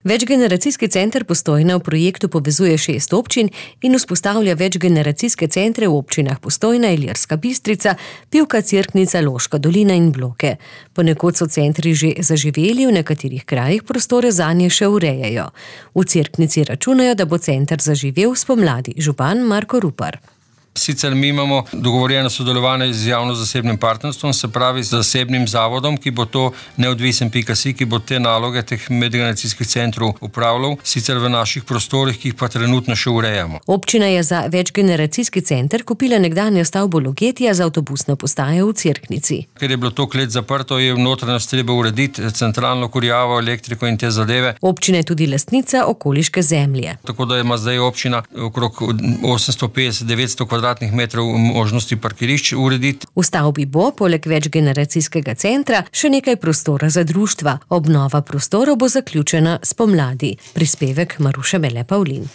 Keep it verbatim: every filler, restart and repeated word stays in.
Večgeneracijski center Postojna v projektu povezuje šest občin in vzpostavlja večgeneracijske centre v občinah Postojna, Ilirska Bistrica, Pivka, Cerknica, Loška dolina in Bloke. Ponekod so centri že zaživeli, v nekaterih krajih prostore zanje še urejajo. V Cerknici računajo, da bo center zaživel spomladi. Župan Marko Rupar. Sicer mi imamo dogovorjeno sodelovanje z javno-zasebnim partnerstvom, se pravi z zasebnim zavodom, ki bo to neodvisen pika si, ki bo te naloge teh medgeneracijskih centrov upravljal, sicer v naših prostorih, ki jih pa trenutno še urejamo. Občina je za večgeneracijski center kupila nekdanjo stavbo Logetija za avtobusno postajo v Cerknici. Ker je bilo to klet zaprto, je v notranjost treba urediti centralno kurjavo, elektriko in te zadeve. Občina je tudi lastnica okoliške zemlje. Tako da ima zdaj občina okrog osemsto petdeset do devetsto kvadratnih metrov možnosti parkirišč urediti. V stavbi bo, poleg večgeneracijskega centra, še nekaj prostora za društva. Obnova prostorov bo zaključena spomladi. Prispevek Maruše Mele Pavlin.